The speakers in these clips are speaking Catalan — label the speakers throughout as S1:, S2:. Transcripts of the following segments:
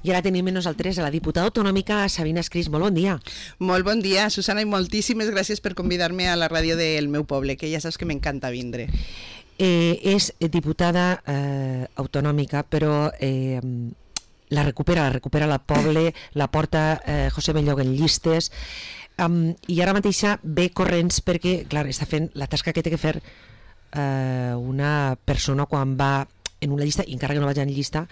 S1: I ara tenim nosaltres a la diputada autonòmica Sabina Escris. Molt bon dia.
S2: Molt bon dia, Susana, i moltíssimes gràcies per convidar-me a la ràdio del meu poble, que ja saps que m'encanta vindre.
S1: És diputada autonòmica, però la recupera la poble, la porta José Benlloc en llistes, i ara mateixa ve corrents perquè, clar, està fent la tasca que té que fer una persona quan va en una llista, i encara que no vagi en llista,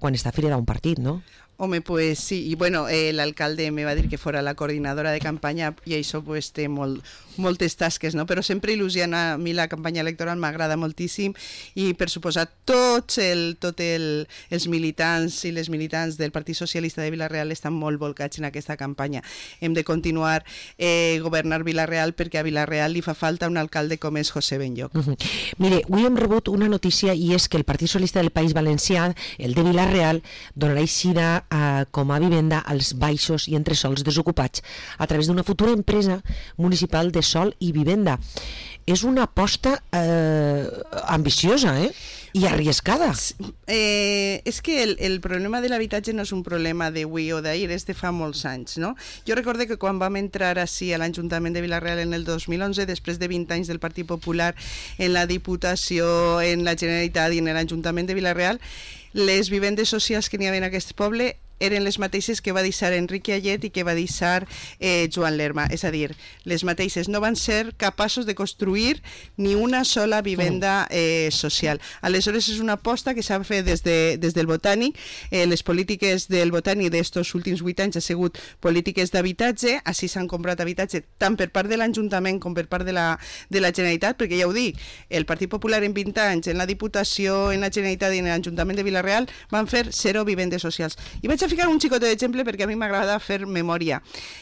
S1: quan està afiliada a un partit, no?
S2: Home, pues sí, y bueno, el alcalde me va a decir que fuera la coordinadora de campaña y eso pues té moltes tasques, no? Però sempre il·lusiona, a mi la campanya electoral m'agrada moltíssim i per suposat tots els militants i les militants del Partit Socialista de Vila-real estan molt volcats en aquesta campanya. Hem de continuar governar Vila-real perquè a Vila-real li fa falta un alcalde com és José Benlloc.
S1: Mire, avui hem rebut una notícia i és que el Partit Socialista del País Valencià, el de Vila-real, donarà eixida com a vivenda als baixos i entresols desocupats a través d'una futura empresa municipal de sol i vivenda. És una aposta ambiciosa, i arriscada.
S2: És que el problema de l'habitatge no és un problema d'avui o d'ahir, és de fa molts anys, no? Jo recordo que quan vam entrar així a l'Ajuntament de Vila-real en el 2011, després de 20 anys del Partit Popular en la Diputació, en la Generalitat i en l'Ajuntament de Vila-real, les vivendes socials que n'hi havia en aquest poble eren les mateixes que va deixar Enrique Ayet i que va deixar Joan Lerma, és a dir, les mateixes. No van ser capaços de construir ni una sola vivenda social. Aleshores és una aposta que s'ha fet des del Botànic. Les polítiques del Botànic d'estos últims 8 anys ha sigut polítiques d'habitatge, així s'han comprat habitatge tant per part de l'Ajuntament com per part de la Generalitat, perquè ja ho dic, el Partit Popular en 20 anys, en la Diputació, en la Generalitat i en l'Ajuntament de Vila-real van fer 0 vivendes socials. I vaig a ficar un xicotet d'exemple perquè a mi m'agrada fer memòria.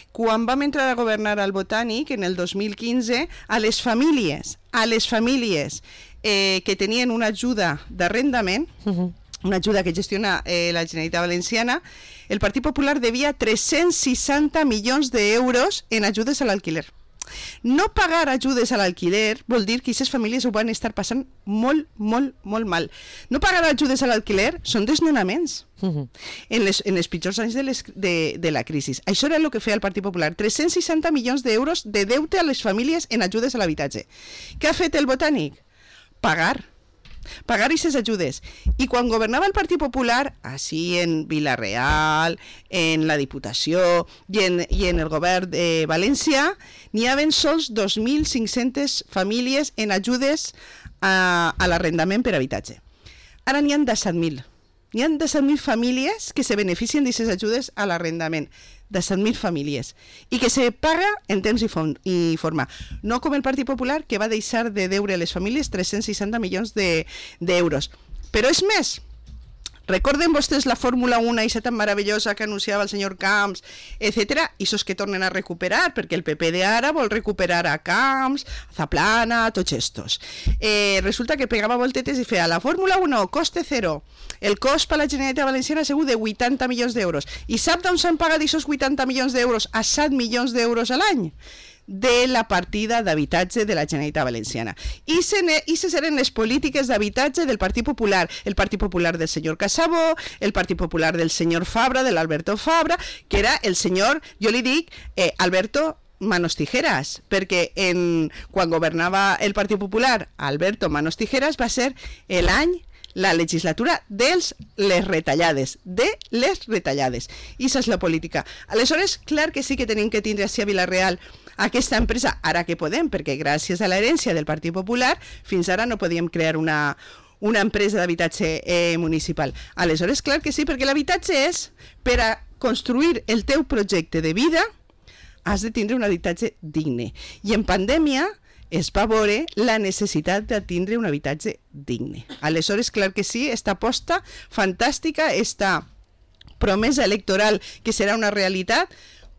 S2: Quan vam entrar a governar al Botànic, en el 2015, a les famílies que tenien una ajuda d'arrendament, una ajuda que gestiona la Generalitat Valenciana, el Partit Popular devia 360 milions d'euros en ajudes a l'alquiler. No pagar ajudes a l'alquiler vol dir que aquestes famílies ho van estar passant molt mal. No pagar ajudes a l'alquiler són desnonaments en els pitjors anys de la crisi. Això era el que feia el Partit Popular, 360 milions d'euros de deute a les famílies en ajudes a l'habitatge. Què ha fet el Botànic? Pagar aquestes ajudes. I quan governava el Partit Popular, així en Vila-real, en la Diputació i en el govern de València, n'hi havia sols 2.500 famílies en ajudes a l'arrendament per habitatge. Ara n'hi ha 17.000. N'hi ha 17.000 famílies que se beneficien d'aquestes ajudes a l'arrendament. 17.000 famílies. I que se paga en temps i forma. No com el Partit Popular, que va deixar de deure a les famílies 360 milions d'euros. Però és més. Recorden vostès la Fórmula 1 i tan meravellosa que anunciava el senyor Camps, etc. I esos que tornen a recuperar, perquè el PP de ara vol recuperar a Camps, a Zaplana, a tots estos. Resulta que pegava voltetes i feia la Fórmula 1, coste cero. El cost per la Generalitat Valenciana ha sigut de 80 milions d'euros. I sap d'on s'han pagat aquests 80 milions d'euros a 7 milions d'euros a l'any? De la partida d'habitatge de la Generalitat Valenciana. I se eren les polítiques d'habitatge del Partit Popular, el Partit Popular del senyor Casabó, el Partit Popular del senyor Fabra, de l'Alberto Fabra, que era el senyor, jo li dic, Alberto Manos Tijeras, perquè quan governava el Partit Popular, Alberto Manos Tijeras va ser la legislatura de les retallades. I això és la política. Aleshores, clar que sí que tenim que tindre així a Vila-real aquesta empresa, ara que podem, perquè gràcies a l'herència del Partit Popular, fins ara no podíem crear una empresa d'habitatge municipal. Aleshores, clar que sí, perquè l'habitatge és, per a construir el teu projecte de vida, has de tindre un habitatge digne. I en pandèmia es va veure la necessitat de tindre un habitatge digne. Aleshores, clar que sí, esta aposta fantàstica, esta promesa electoral que serà una realitat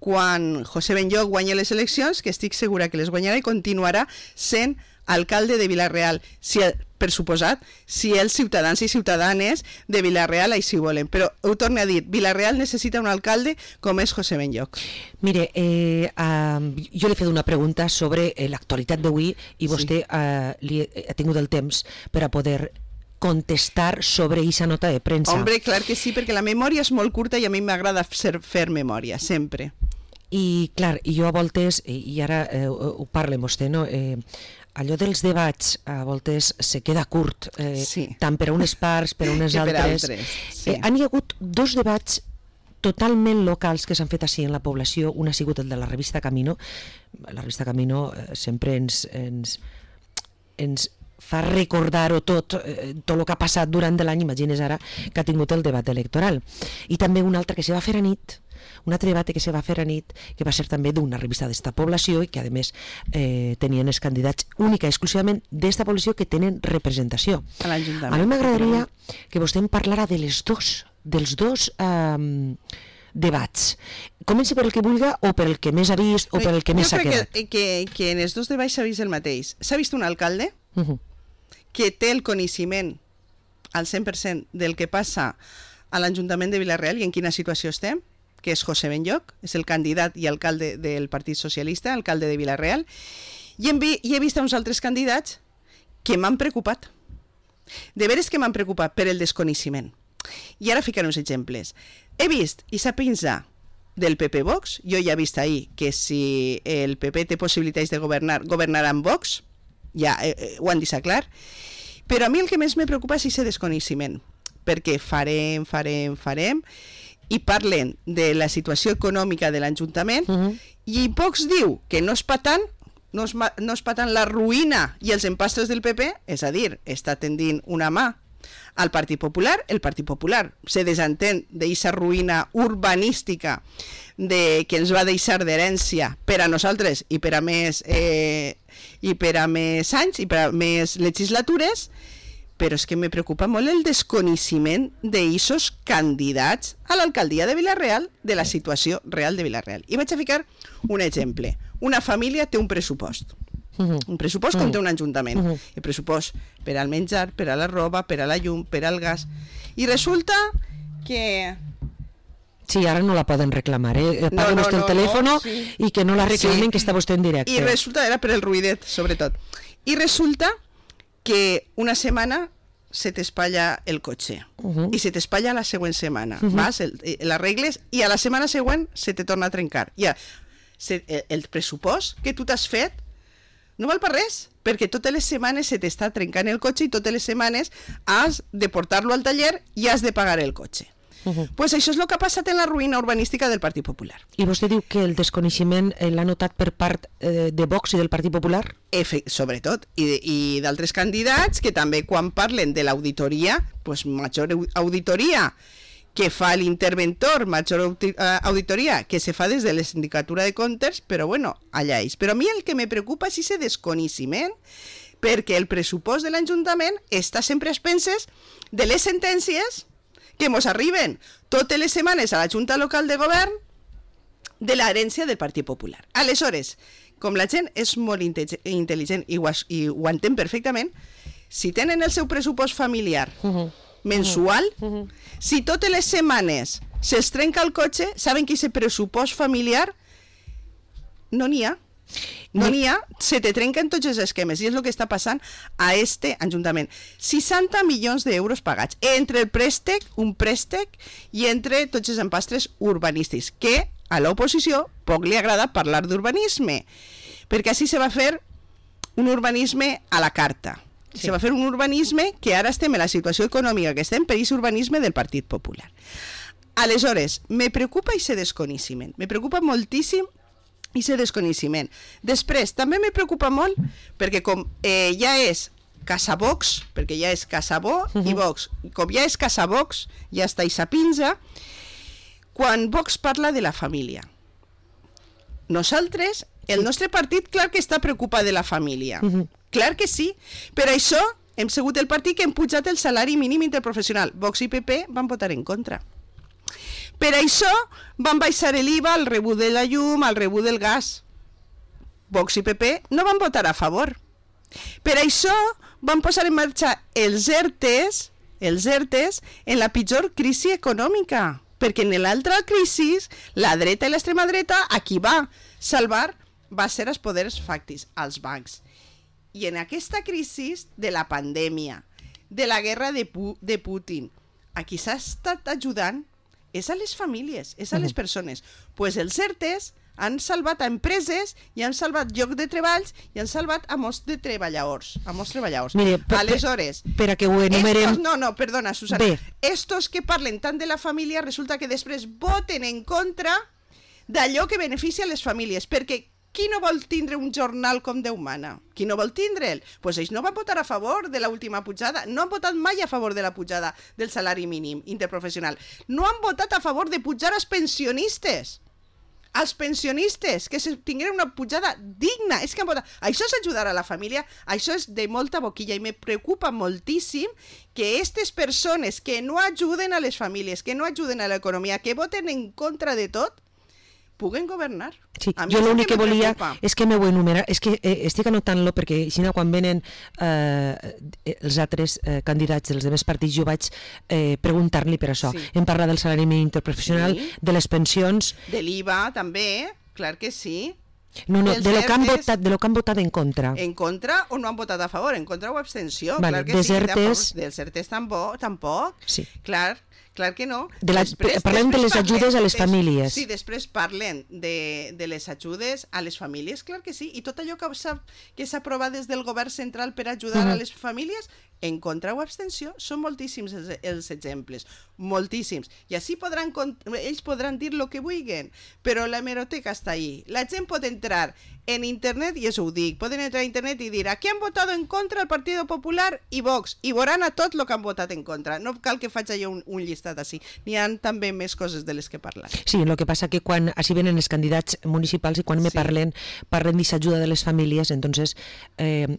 S2: quan José Benlloc guanyi les eleccions, que estic segura que les guanyarà i continuarà sent alcalde de Vila-real, per suposat, si els ciutadans i ciutadanes de Vila-real així volen. Però ho torno a dir, Vila-real necessita un alcalde com és José Benlloc.
S1: Mire, jo li he fet una pregunta sobre l'actualitat d'avui i vostè ha tingut el temps per a poder contestar sobre aquesta nota de premsa.
S2: Hombre, clar que sí, perquè la memòria és molt curta i a mi m'agrada fer memòria, sempre.
S1: I clar, jo a voltes, i ara ho parlem vostè, no? Allò dels debats a voltes se queda curt, tant per a unes parts, per a unes altres. Han hi hagut 2 debats totalment locals que s'han fet així en la població. Un ha sigut el de la revista Camino. La revista Camino sempre ens fa recordar-ho tot el que ha passat durant l'any, imagines ara que ha tingut el debat electoral. I també un altre que se va fer a nit, un altre debat que se va fer a nit, que va ser també d'una revista d'esta població i que a més tenien els candidats única i exclusivament d'esta població que tenen representació.
S2: A l'Ajuntament.
S1: A mi m'agradaria que vostè em parlara dels dos debats. Comenci per el que vulgui o per el que més ha vist o per el que més s'ha quedat.
S2: Jo crec que en els 2 debats s'ha vist el mateix. S'ha vist un alcalde que té el coneixement al 100% del que passa a l'Ajuntament de Vila-real i en quina situació estem, que és José Benlloch, és el candidat i alcalde del Partit Socialista, alcalde de Vila-real, i he vist uns altres candidats que m'han preocupat. De veres que m'han preocupat per el desconeixement. I ara ficaré uns exemples. He vist i s'ha pensat del PP Vox, jo ja he vist ahir que si el PP té possibilitats de governar, governarà amb Vox, ja ho han deixat clar, però a mi el que més me preocupa és aquest desconeixement, perquè farem, i parlen de la situació econòmica de l'Ajuntament, i Vox diu que no es pa tant, no es pa tant la ruïna i els empastres del PP, és a dir, està tendint una mà al Partit Popular. El Partit Popular se desentén d'aquesta ruïna urbanística que ens va deixar d'herència per a nosaltres i per a més anys i per a més legislatures, però és que me preocupa molt el desconeixement d'aquests candidats a l'alcaldia de Vila-real, de la situació real de Vila-real. I vaig a ficar un exemple. Una família té un pressupost. Un pressupost com té un ajuntament. El pressupost per al menjar, per a la roba, per a la llum, per al gas. I resulta que...
S1: Sí, ara no la poden reclamar, Paga vostè el telèfon i que no la reclamen, que està vostè en directe.
S2: I resulta, era per el ruïdet, sobretot. I resulta que una setmana se t'espatlla el cotxe i se t'espatlla la següent setmana. Vas, l'arregles i a la setmana següent se te torna a trencar. Ja, el pressupost que tu t'has fet no val per res, perquè totes les setmanes se t'està trencant el cotxe i totes les setmanes has de portar-lo al taller i has de pagar el cotxe. Pues això és el que ha passat en la ruïna urbanística del Partit Popular.
S1: I vostè diu que el desconeixement l'ha notat per part de Vox i del Partit Popular?
S2: Sobretot, i d'altres candidats que també quan parlen de l'auditoria, pues major auditoria que fa l'interventor, major auditoria que se fa des de la Sindicatura de Comptes, però bueno, allà és. Però a mi el que me preocupa és aquest desconeixement, perquè el pressupost de l'Ajuntament està sempre a expenses de les sentències que ens arriben totes les setmanes a la Junta Local de Govern de l'herència del Partit Popular. Aleshores, com la gent és molt intel·ligent i ho entén perfectament, si tenen el seu pressupost familiar mensual, si totes les setmanes se'ls trenca el cotxe, saben que aquest pressupost familiar no n'hi ha. No n'hi ha, se te trenquen tots els esquemes i és el que està passant a este Ajuntament. 60 milions d'euros pagats entre el préstec, un préstec, i entre tots els empastres urbanístics, que a l'oposició poc li agrada parlar d'urbanisme, perquè així se va fer un urbanisme a la carta. Se va fer un urbanisme que ara estem en la situació econòmica que estem per aquest urbanisme del Partit Popular. Aleshores, me preocupa aquest desconeixement, me preocupa moltíssim i aquest desconeixement. Després, també me preocupa molt perquè com ja és Casa Vox, perquè ja és Casa Bo i Vox, com ja és Casa Vox, ja està i s'apinja, quan Vox parla de la família. Nosaltres, el nostre partit, clar que està preocupat de la família. Clar que sí. Per això hem sigut el partit que hem pujat el salari mínim interprofessional. Vox i PP van votar en contra. Per això van baixar l'IVA al rebut de la llum, al rebut del gas. Vox i PP no van votar a favor. Per això van posar en marxa els ERTEs en la pitjor crisi econòmica. Perquè en l'altra crisi, la dreta i l'extrema dreta, a qui va salvar va ser els poders fàctics, als bancs. I en aquesta crisi de la pandèmia, de la guerra de Putin. A qui s'ha estat ajudant és a les famílies, és a les persones. Pues els ERTEs han salvat a empreses i han salvat llocs de treballs i han salvat a molts de treballadors.
S1: Mire,
S2: aleshores,
S1: per a que ho enumerem...
S2: Perdona, Susana.
S1: Bé.
S2: Estos que parlen tant de la família resulta que després voten en contra d'allò que beneficia les famílies, perquè qui no vol tindre un jornal com Déu mana? Qui no vol tindre'l? Doncs ells no van votar a favor de l'última pujada, no han votat mai a favor de la pujada del salari mínim interprofessional, no han votat a favor de pujar als pensionistes, que tingueren una pujada digna. És que han votat. Això és ajudar a la família, això és de molta boquilla, i me preocupa moltíssim que aquestes persones que no ajuden a les famílies, que no ajuden a l'economia, que voten en contra de tot, puguen governar.
S1: Sí, jo l'únic que volia és que m'ho enumerar, és que estic anotant-lo perquè així quan venen els altres candidats dels altres partits jo vaig preguntar-li per això. Hem parlat del salari mínim interprofessional, de les pensions...
S2: De l'IVA també, clar que sí.
S1: No, de lo que han votat en contra.
S2: En contra o no han votat a favor? En contra o abstenció?
S1: Vale,
S2: clar que sí. Dels ERTEs tampoc.
S1: Sí.
S2: Clar que no.
S1: Parlem de les ajudes a les famílies.
S2: Sí, després parlen de les ajudes a les famílies, clar que sí. I tot allò que s'ha aprovat des del govern central per ajudar a les famílies, en contra o abstenció, són moltíssims els exemples, moltíssims. I així ells podran dir el que vulguin, però la hemeroteca està ahí. La gent pot entrar en internet, i això ho dic, poden entrar a internet i dir aquí han votat en contra el Partido Popular i Vox, i veuran a tot el que han votat en contra. No cal que faig jo un llistat així. N'hi ha també més coses de les que parlar.
S1: Sí, el que passa que quan així venen els candidats municipals i quan me parlen d'aquesta ajuda de les famílies, entonces...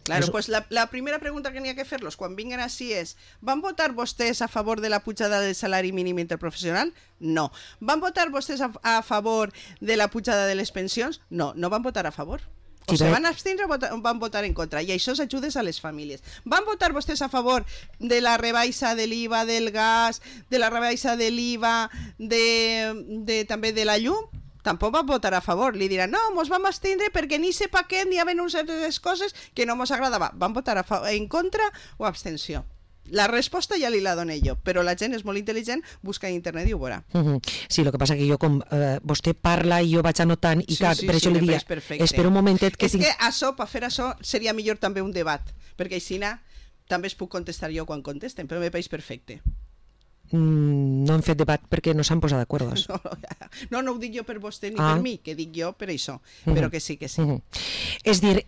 S2: Claro, pues la primera pregunta que n'hi ha que fer-los quan vinguen així és: van votar vostès a favor de la pujada del salari mínim interprofessional? No. Van votar vostès a favor de la pujada de les pensions? No, no van votar a favor. O se van abstindre o van votar en contra, i això és ajudes a les famílies. Van votar vostès a favor de la rebaixa de l'IVA del gas, de la rebaixa de l'IVA també de la llum? Tampoc van votar a favor. Li diran, no, mos vam abstindre perquè ni sé paquet ni hi havia certes coses que no mos agradava. Van votar en contra o abstenció? La resposta ja li la doné jo, però la gent és molt intel·ligent, busca en internet i ho veurà.
S1: Sí, el que passa que jo, com vostè parla i jo vaig anotant, i per això li diria, espera un momentet...
S2: És que això, per fer això, seria millor també un debat, perquè així també es puc contestar jo quan contesten, però me pareix perfecte.
S1: No hem fet debat perquè no s'han posat d'acord.
S2: No ho dic jo per vostè ni per mi, que dic jo per això, però que sí.
S1: És dir,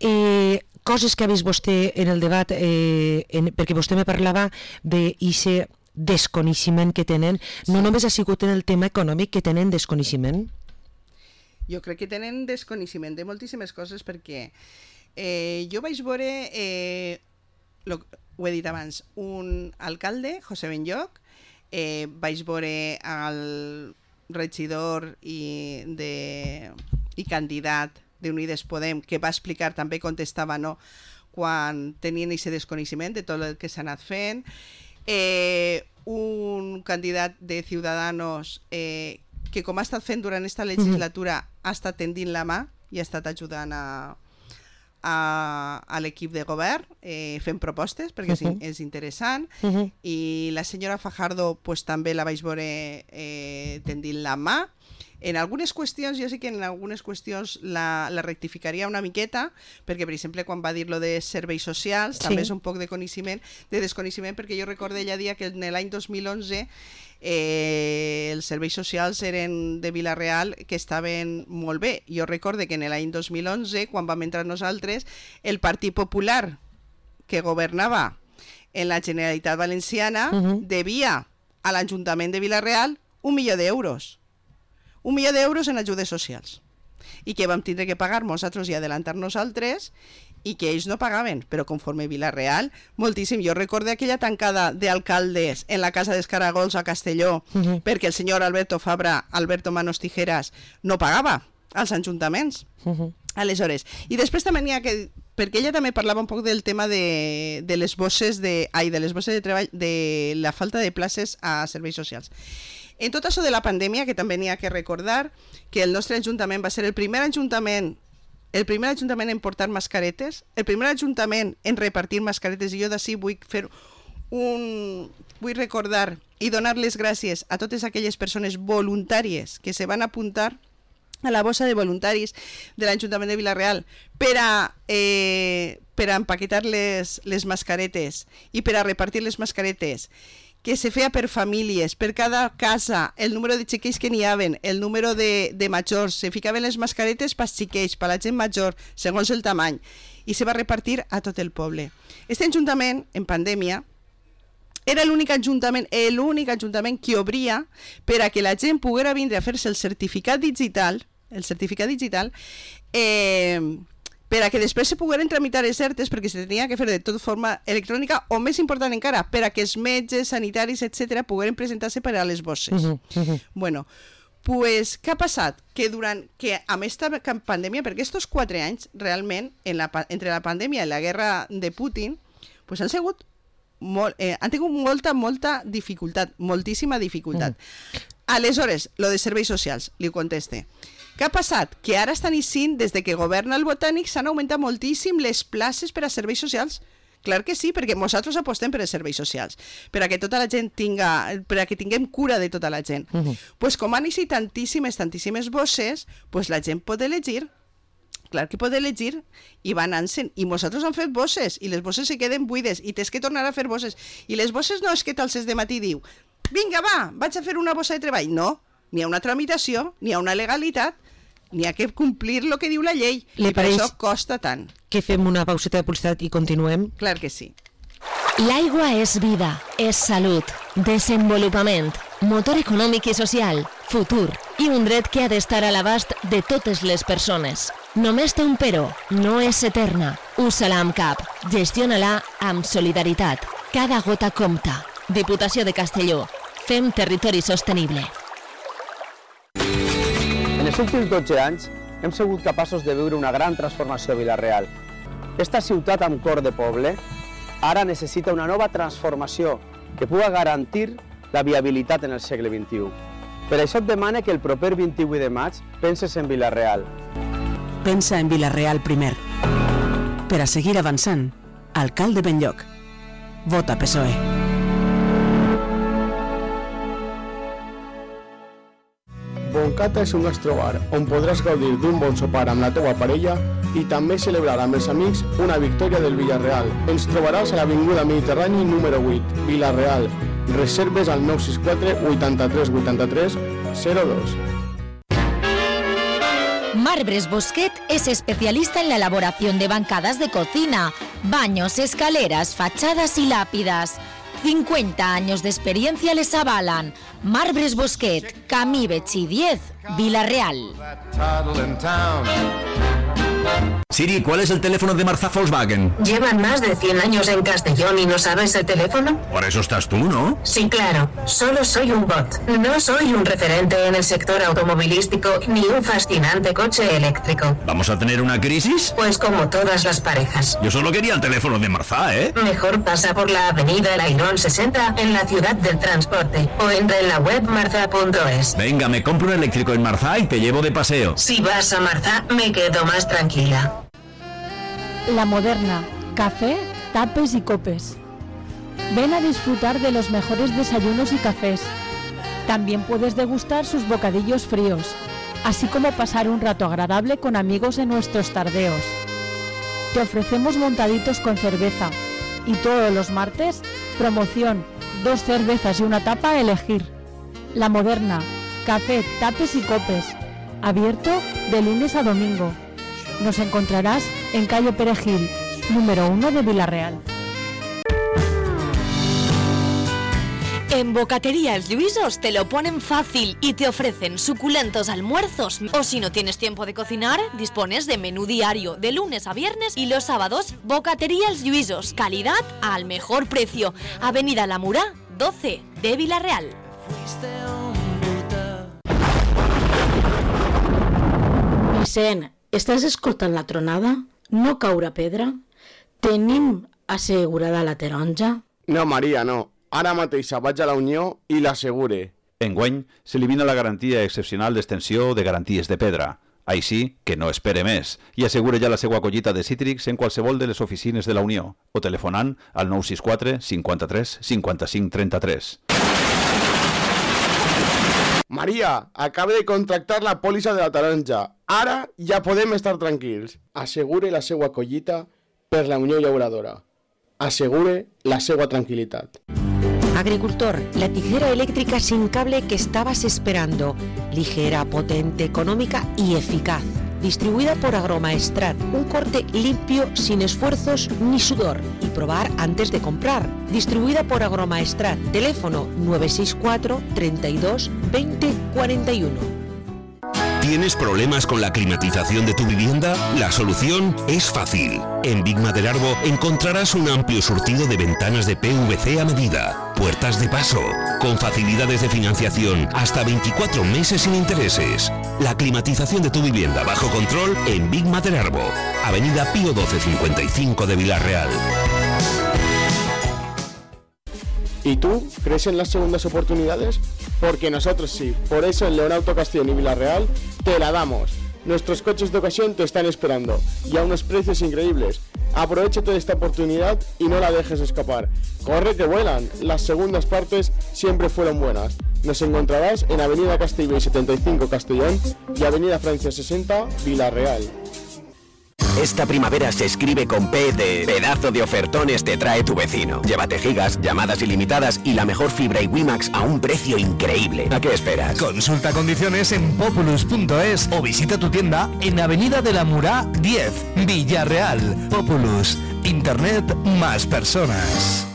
S1: coses que ha vist vostè en el debat, perquè vostè me parlava d'aquest desconeixement que tenen, no només ha sigut en el tema econòmic que tenen desconeixement?
S2: Jo crec que tenen desconeixement de moltíssimes coses, perquè jo vaig veure, ho he dit abans, un alcalde, José Benlloch, vaig veure el regidor i candidat d'Unides Podem, que va explicar també contestava no quan tenien aquest desconeixement de tot el que s'ha anat fent, un candidat de Ciudadanos que com ha estat fent durant aquesta legislatura ha estat tendint la mà i ha estat ajudant a l'equip de govern fent propostes perquè és interessant, i la senyora Fajardo pues, també la vaig veure tendint la mà. En algunes qüestions, jo sé que en algunes qüestions la rectificaria una miqueta, perquè per exemple quan va dir lo de serveis socials també és un poc de desconeixement, perquè jo recordo ella dia que en l'any 2011 els serveis socials eren de Vila-real que estaven molt bé. Jo recordo que en l'any 2011, quan vam entrar nosaltres, el Partit Popular que governava en la Generalitat Valenciana devia a l'Ajuntament de Vila-real 1 milió d'euros. 1 milió d'euros en ajudes socials. I que vam tindre que pagar nosaltres i adelantar nosaltres, i que ells no pagaven, però conforme Vila-real, moltíssim. Jo recordo aquella tancada d'alcaldes en la Casa dels Caragols a Castelló, perquè el senyor Alberto Manos Tijeras, no pagava als ajuntaments. Aleshores, i després també n'hi ha que... perquè ella també parlava un poc del tema de les bosses de treball, de la falta de places a serveis socials. En tot això de la pandèmia, que també n'hi ha que recordar que el nostre ajuntament va ser el primer ajuntament en portar mascaretes, el primer ajuntament en repartir mascaretes, i jo d'ací vull fer vull recordar i donar les gràcies a totes aquelles persones voluntàries que se van apuntar a la bossa de voluntaris de l'Ajuntament de Vila-real per a empaquetar les mascaretes i per a repartir les mascaretes, que se feia per famílies, per cada casa, el número de xiquets que n'hi haven, el número de majors, se ficaven les mascaretes pels xiquets, per la gent major, segons el tamany, i se va repartir a tot el poble. Este ajuntament, en pandèmia, era l'únic ajuntament que obria per a que la gent poguera vindre a fer-se el certificat digital, per a que després se pogueren tramitar les certes, perquè se tenia que fer de tota forma electrònica, o més important encara, per a que els metges, sanitaris, etc., pogueren presentar-se per a les bosses. Bueno, pues, què ha passat? Que amb aquesta pandèmia, perquè aquests 4 anys, realment, entre la pandèmia i la guerra de Putin, pues han tingut molta dificultat, moltíssima dificultat. Aleshores, lo de serveis socials, li conteste. Què ha passat? Que ara estan eixint, des de que governa el Botànic, s'han augmentat moltíssim les places per a serveis socials. Clar que sí, perquè nosaltres apostem per els serveis socials, per a que tota la gent per a que tinguem cura de tota la gent. Pues com han eixit tantíssimes bosses, pues la gent pot elegir. Clar que pot elegir i va anant-se'n. I nosaltres hem fet bosses i les bosses se queden buides i tens que tornar a fer bosses. I les bosses no és que t'alces de matí i diu vinga, va, vaig a fer una bossa de treball. No, n'hi ha una tramitació, n'hi ha una legalitat, n'hi ha que complir el que diu la llei. I per això costa tant.
S1: Que fem una pauseta de publicitat i continuem?
S2: Clar que sí.
S3: L'aigua és vida, és salut, desenvolupament, motor econòmic i social, futur i un dret que ha d'estar a l'abast de totes les persones. Només té un però, no és eterna. Usa-la amb cap, gestiona-la amb solidaritat. Cada gota compta. Diputació de Castelló. Fem territori sostenible.
S4: En els últims 12 anys hem sigut capaços de viure una gran transformació a Vila-real. Esta ciutat amb cor de poble ara necessita una nova transformació que pugui garantir la viabilitat en el segle XXI. Per això et demane que el proper 28 de maig penses en Vila-real.
S5: Pensa en Vila-real primer. Per a seguir avançant, alcalde Benlloc. Vota PSOE.
S6: Boncata és un gastrobar on podràs gaudir d'un bon sopar amb la teua parella i també celebrar amb els amics una victòria del Villarreal. Ens trobaràs a l'Avinguda Mediterrani número 8, Vila-real. Reserves al 964 83 83 02.
S3: Marbres Bosquet es especialista en la elaboración de bancadas de cocina, baños, escaleras, fachadas y lápidas. 50 años de experiencia les avalan. Marbres Bosquet, Camí Betxí 10, Vila-real.
S7: Siri, ¿cuál es el teléfono de Marza Volkswagen?
S8: Llevan más de 100 años en Castellón y no sabes el teléfono.
S7: Por eso estás tú, ¿no?
S8: Sí, claro. Solo soy un bot. No soy un referente en el sector automovilístico ni un fascinante coche eléctrico.
S7: ¿Vamos a tener una crisis?
S8: Pues como todas las parejas.
S7: Yo solo quería el teléfono de Marza, ¿eh?
S8: Mejor pasa por la avenida El Airón 60 en la ciudad del transporte o entra en la web marza.es.
S7: Venga, me compro un eléctrico en Marza y te llevo de paseo.
S8: Si vas a Marza, me quedo más tranquila.
S9: La Moderna, café, tapes y copes. Ven a disfrutar de los mejores desayunos y cafés. También puedes degustar sus bocadillos fríos, así como pasar un rato agradable con amigos en nuestros tardeos. Te ofrecemos montaditos con cerveza y todos los martes, promoción, 2 cervezas y una tapa a elegir. La Moderna, café, tapes y copes. Abierto de lunes a domingo. Nos encontrarás en calle Perejil, número 1 de Vila-real.
S3: En Bocatería Els Lluïsos te lo ponen fácil y te ofrecen suculentos almuerzos. O si no tienes tiempo de cocinar, dispones de menú diario de lunes a viernes y los sábados. Bocatería Els Lluïsos, calidad al mejor precio. Avenida La Murà, 12 de Vila-real.
S10: Vicent, estàs escoltant la tronada? No caurà pedra? Tenim assegurada la taronja?
S6: No, Maria, no. Ara mateix vaig a la Unió i l'assegure.
S11: Enguany s'elimina la garantia excepcional d'extensió de garanties de pedra. Així que no espere més i assegure ja la seva collita de cítrics en qualsevol de les oficines de la Unió o telefonant al 964 53 55 33.
S6: Maria, acaba de contractar la pòlissa de la taronja. Ara ja podem estar tranquils. Assegure la seva collita per la Unió Llauradora. Asegure la seva tranquilitat.
S1: Agricultor, la tijera eléctrica sin cable que estabas esperando. Ligera, potente, económica y eficaz. Distribuida por Agromaestrat. Un corte limpio, sin esfuerzos ni sudor. Y probar antes de comprar. Distribuida por Agromaestrat. Teléfono 964 32 20 41.
S12: ¿Tienes problemas con la climatización de tu vivienda? La solución es fácil. En Big Maderarbo encontrarás un amplio surtido de ventanas de PVC a medida, puertas de paso, con facilidades de financiación hasta 24 meses sin intereses. La climatización de tu vivienda bajo control en Big Maderarbo, Avenida Pío 1255 de Vilarreal.
S6: ¿Y tú crees en las segundas oportunidades? Porque nosotros sí. Por eso en Leonauto Castellón y Vilarreal te la damos. Nuestros coches de ocasión te están esperando y a unos precios increíbles. Aprovechate de esta oportunidad y no la dejes escapar. ¡Corre que vuelan! Las segundas partes siempre fueron buenas. Nos encontrarás en Avenida Castellbell 75 Castellón y Avenida Francia 60 Vilarreal.
S13: Esta primavera se escribe con P de pedazo de ofertones te trae tu vecino. Llévate gigas, llamadas ilimitadas y la mejor fibra y WiMax a un precio increíble. ¿A qué esperas?
S14: Consulta condiciones en populus.es o visita tu tienda en Avenida de la Murá 10, Villarreal. Populus, Internet más personas.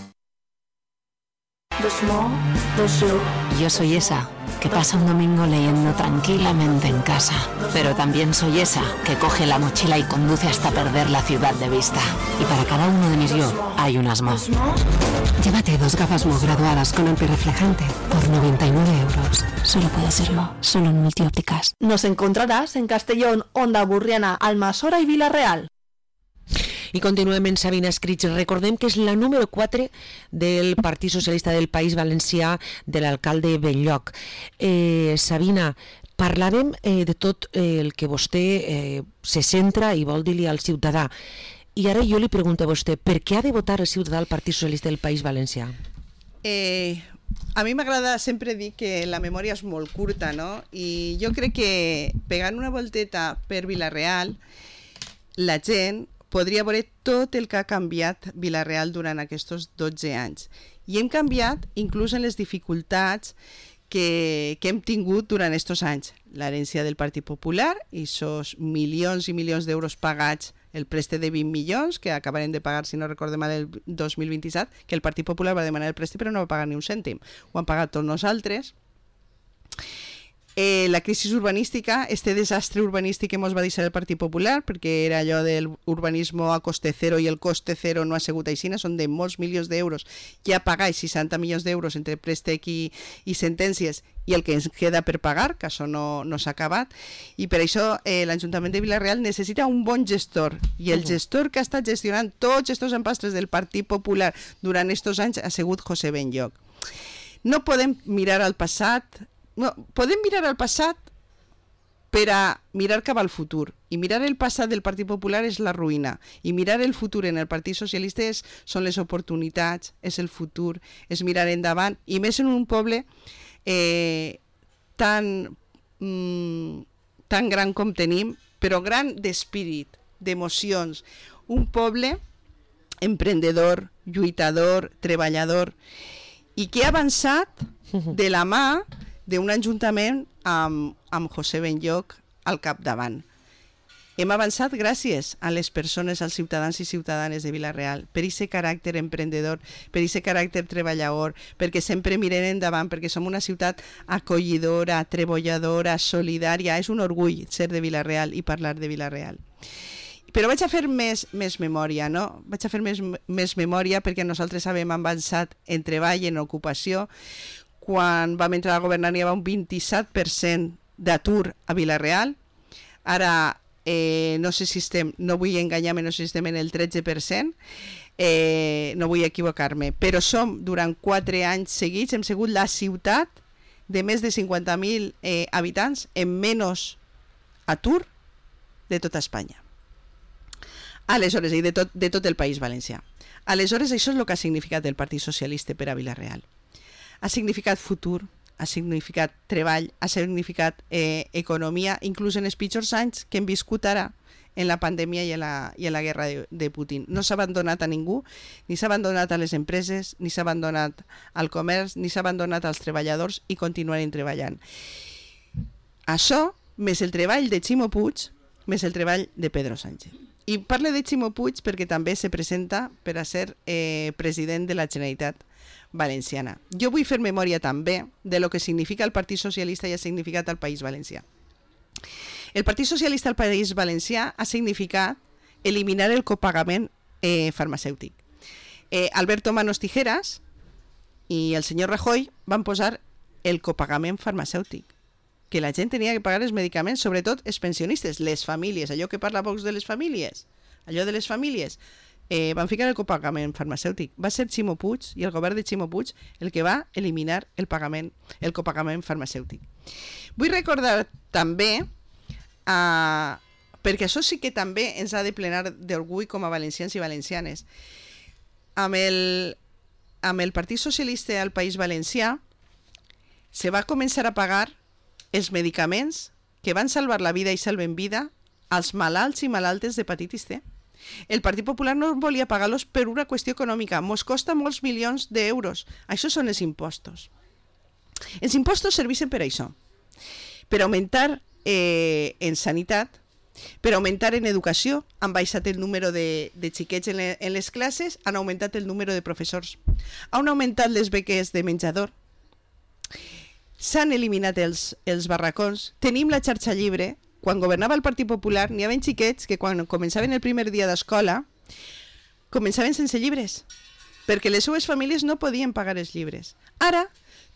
S15: Yo soy esa que pasa un domingo leyendo tranquilamente en casa, pero también soy esa que coge la mochila y conduce hasta perder la ciudad de vista. Y para cada uno de mis yo hay unas más. Llévate 2 gafas Mo graduadas con antirreflejante por 99 euros. Solo puede serlo, solo en Multiópticas.
S16: Nos encontrarás en Castellón, Onda Burriana, Almassora i Vila-real.
S1: I continuem en Sabina Escrits. Recordem que és la número 4 del Partit Socialista del País Valencià, de l'alcalde Benlloc. Sabina, parlarem de tot el que vostè se centra i vol dir-li al ciutadà. I ara jo li pregunto a vostè, per què ha de votar el ciutadà al Partit Socialista del País Valencià?
S2: A mi m'agrada sempre dir que la memòria és molt curta, no? I jo crec que pegant una volteta per Vilarreal, la gent podria veure tot el que ha canviat Vilarreal durant aquests 12 anys. I hem canviat inclús en les dificultats que hem tingut durant aquests anys. L'herència del Partit Popular i esos milions i milions d'euros pagats, el préstec de 20 milions que acabarem de pagar, si no recordem mal, el 2027, que el Partit Popular va demanar el préstec però no va pagar ni un cèntim. Ho han pagat tots nosaltres. La crisi urbanística, este desastre urbanístic que ens va deixar el Partit Popular, perquè era allò del urbanisme a coste cero i el coste cero no ha sigut així, són de molts milions d'euros, ja pagar 60 milions d'euros entre préstec i sentències i el que ens queda per pagar, que això no s'ha acabat, i per això l'Ajuntament de Vilarreal necessita un bon gestor, i el gestor que ha estat gestionant tots aquests empastres del Partit Popular durant aquests anys ha sigut José Benlloc. No podem mirar al passat. No, podem mirar al passat per a mirar cap al futur, i mirar el passat del Partit Popular és la ruïna, i mirar el futur en el Partit Socialista són les oportunitats, és el futur, és mirar endavant, i més en un poble tan gran com tenim, però gran d'espírit, d'emocions, un poble emprendedor, lluitador, treballador, i que ha avançat de la mà d'un ajuntament amb José Benlloc al capdavant. Hem avançat gràcies a les persones, als ciutadans i ciutadanes de Vilarreal, per aquest caràcter emprendedor, per aquest caràcter treballador, perquè sempre mirem endavant, perquè som una ciutat acollidora, treballadora, solidària. És un orgull ser de Vilarreal i parlar de Vilarreal. Però vaig a fer més memòria, no? Vaig a fer més memòria perquè nosaltres hem avançat en treball, en ocupació. Quan vam entrar a governar hi havia un 27% d'atur a Vilarreal. Ara no sé si estem, no vull enganyar-me, no sé si estem en el 13%, no vull equivocar-me, però som durant 4 anys seguits, hem sigut la ciutat de més de 50.000 habitants amb menys atur de tota Espanya. Aleshores, i de tot el País Valencià. Aleshores, això és el que ha significat el Partit Socialista per a Vila-real. Ha significat futur, ha significat treball, ha significat economia, inclús en els pitjors anys que hem viscut ara, en la pandèmia i en la guerra de Putin. No s'ha abandonat a ningú, ni s'ha abandonat a les empreses, ni s'ha abandonat al comerç, ni s'ha abandonat als treballadors i continuarem treballant. Això, més el treball de Ximo Puig, més el treball de Pedro Sánchez. I parle de Ximo Puig perquè també se presenta per a ser president de la Generalitat Valenciana. Jo vull fer memòria també de lo que significa el Partit Socialista i ha significat al País Valencià. El Partit Socialista al País Valencià ha significat eliminar el copagament farmacèutic. Alberto Manos Tijeras i el senyor Rajoy van posar el copagament farmacèutic, que la gent tenia que pagar els medicaments, sobretot els pensionistes, les famílies, allò que parla Vox de les famílies, van ficar el copagament farmacèutic. Va ser Ximo Puig i el govern de Ximo Puig el que va eliminar el copagament farmacèutic. Vull recordar també, perquè això sí que també ens ha de plenar d'orgull com a valencians i valencianes, amb el Partit Socialista al País Valencià se va començar a pagar els medicaments que van salvar la vida i salven vida als malalts i malaltes d'hepatitis C. El Partit Popular no volia pagar-los per una qüestió econòmica. Mos costa molts milions d'euros. Això són els impostos. Els impostos serveixen per això. Per augmentar en sanitat, per augmentar en educació, han baixat el número de xiquets en les classes, han augmentat el número de professors, han augmentat les beques de menjador, s'han eliminat els barracons, tenim la xarxa llibre. Quan governava el Partit Popular n'hi havia xiquets que quan començaven el primer dia d'escola començaven sense llibres, perquè les seues famílies no podien pagar els llibres. Ara,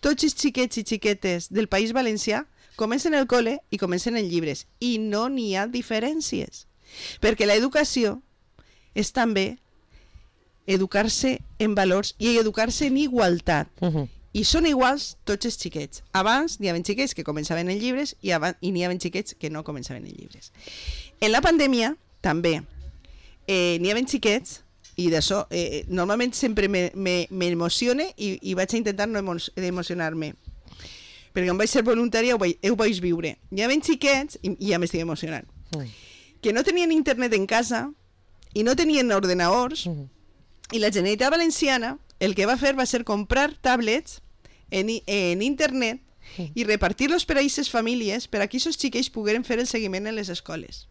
S2: tots els xiquets i xiquetes del País Valencià comencen el col·le i comencen en llibres, i no n'hi ha diferències, perquè l'educació és també educar-se en valors i educar-se en igualtat. I són iguals tots els xiquets. Abans n'hi havia xiquets que començaven en llibres i n'hi havia xiquets que no començaven en llibres. En la pandèmia també n'hi havia xiquets, i d'això normalment sempre m'emocione i vaig a intentar no emocionar-me, perquè quan vaig ser voluntària ho vaig viure. N'hi havia xiquets, i ja m'estic emocionant, que no tenien internet en casa i no tenien ordenadors, i la Generalitat Valenciana el que va fer va ser comprar tablets en internet i repartir-los per a aquestes famílies per a que aquests xiquets pogueren fer el seguiment en les escoles.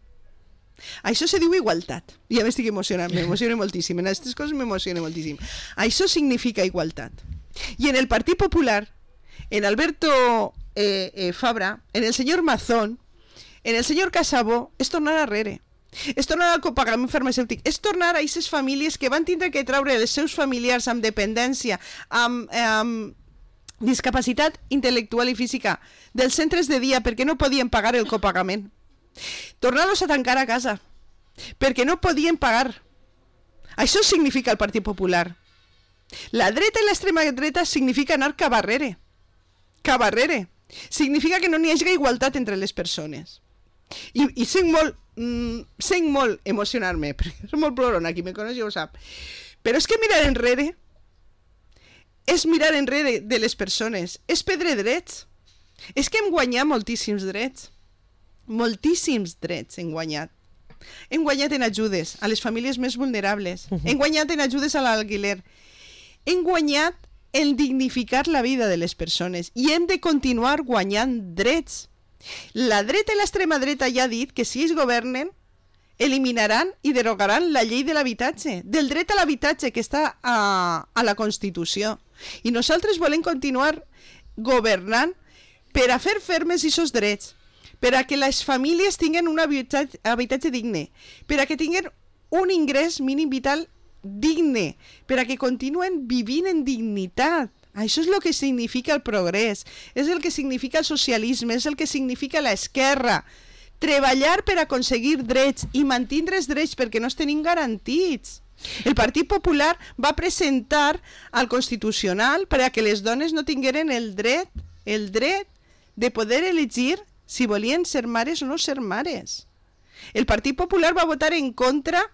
S2: Això se diu igualtat. Ja m'estic emocionant, m'emociona moltíssim. En aquestes coses m'emociona moltíssim. Això significa igualtat. I en el Partit Popular, en Alberto Fabra, en el senyor Mazón, en el senyor Casabó, és tornar arrere. És tornar al copagament farmacèutic, és tornar a aquestes famílies que van tindre que treure els seus familiars amb dependència, amb discapacitat intel·lectual i física dels centres de dia perquè no podien pagar el copagament. Tornar-los a tancar a casa perquè no podien pagar. Això significa el Partit Popular. La dreta i l'extrema dreta significa anar cap arrere. Cap arrere. Significa que no n'hi hagi igualtat entre les persones. I sent molt emocionar-me, perquè soc molt plorona, qui me coneix ja ho sap, però és que mirar enrere és mirar enrere de les persones, és perdre drets. És que hem guanyat moltíssims drets hem guanyat en ajudes a les famílies més vulnerables, hem guanyat en ajudes a l'alquiler, hem guanyat en dignificar la vida de les persones i hem de continuar guanyant drets. La dreta i l'extrema dreta ja ha dit que si ells governen eliminaran i derogaran la llei de l'habitatge, del dret a l'habitatge que està a la Constitució. I nosaltres volem continuar governant per a fer fermes aquests drets, per a que les famílies tinguen un habitatge digne, per a que tinguen un ingrés mínim vital digne, per a que continuen vivint en dignitat. Això és el que significa el progrés, és el que significa el socialisme, és el que significa l'esquerra. Treballar per aconseguir drets i mantindre els drets perquè no els tenim garantits. El Partit Popular va presentar al Constitucional per a que les dones no tingueren el dret de poder elegir si volien ser mares o no ser mares. El Partit Popular va votar en contra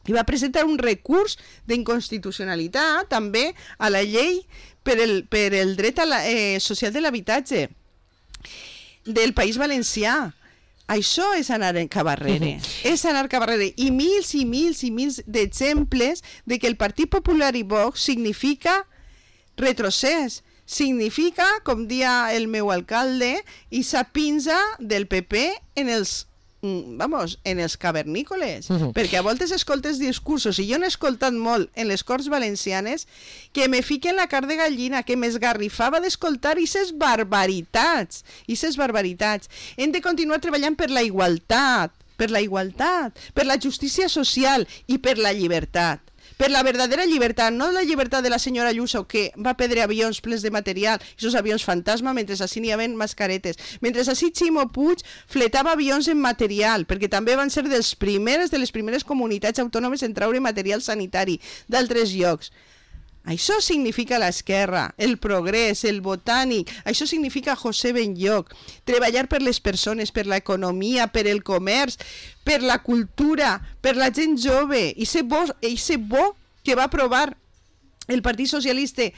S2: i va presentar un recurs d'inconstitucionalitat també a la llei per el dret social de l'habitatge del País Valencià. Això és anar cap arrere, és anar cap arrere. I mils d'exemples de que el Partit Popular i Vox significa retrocés, significa, com dia el meu alcalde, esa pinza del PP en els cavernícoles, perquè a voltes escoltes discursos, i jo n'he escoltat molt en les Corts Valencianes, que me fiquen la carn de gallina, que m'esgarrifava d'escoltar aquestes barbaritats. Hem de continuar treballant per la igualtat, per la justícia social i per la llibertat. Per la verdadera llibertat, no la llibertat de la senyora Ayuso, que va perdre avions plens de material, aquests avions fantasma, mentre així n'hi havia mascaretes. Mentre així Ximo Puig fletava avions en material, perquè també van ser de les primeres comunitats autònomes en traure material sanitari d'altres llocs. Això significa l'esquerra, el progrés, el botànic, això significa José Benlloch, treballar per les persones, per l'economia, per el comerç, per la cultura, per la gent jove, i ser bo que va aprovar el Partit Socialista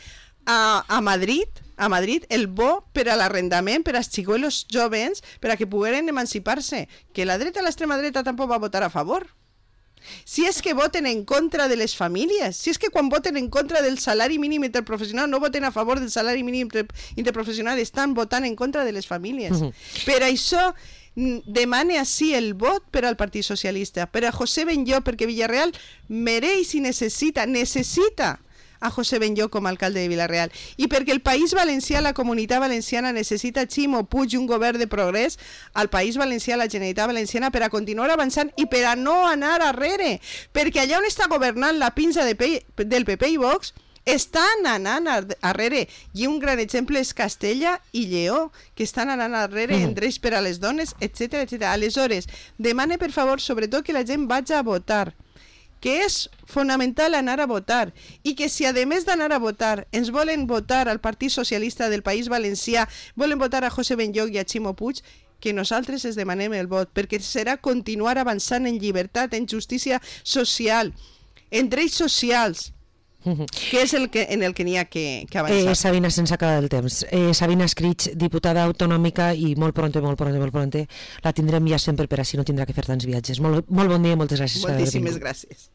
S2: a Madrid, el bo per a l'arrendament, per als xicolos joves, per a que pogueren emancipar-se, que la dreta i l'extrema dreta tampoc va votar a favor. Si és que voten en contra de les famílies, si és que quan voten en contra del salari mínim interprofessional no voten a favor del salari mínim interprofessional, estan votant en contra de les famílies. Per això demane així el vot per al Partit Socialista, per a José Benlloch, perquè Villarreal mereix i necessita a José Benlloch com a alcalde de Vila-real, i perquè el País Valencià, la Comunitat Valenciana, necessita Ximo Puig i un govern de progrés al País Valencià, la Generalitat Valenciana, per a continuar avançant i per a no anar arrere, perquè allà on està governant la pinza del PP i Vox estan anant arrere, i un gran exemple és Castella i Lleó, que estan anant arrere en drets per a les dones, etc. Aleshores, demane per favor sobretot que la gent vagi a votar, que és fonamental anar a votar, i que si a més d'anar a votar ens volen votar al Partit Socialista del País Valencià, volen votar a José Benlloch i a Ximo Puig, que nosaltres es demanem el vot, perquè serà continuar avançant en llibertat, en justícia social, en drets socials, que és en el que n'hi ha que avançar.
S1: Sabina, sense acabar el temps. Sabina Escrig, diputada autonòmica, i molt pronte, la tindrem ja sempre per així no tindrà que fer tants viatges. Molt bon dia i moltes gràcies.
S2: Moltíssimes gràcies.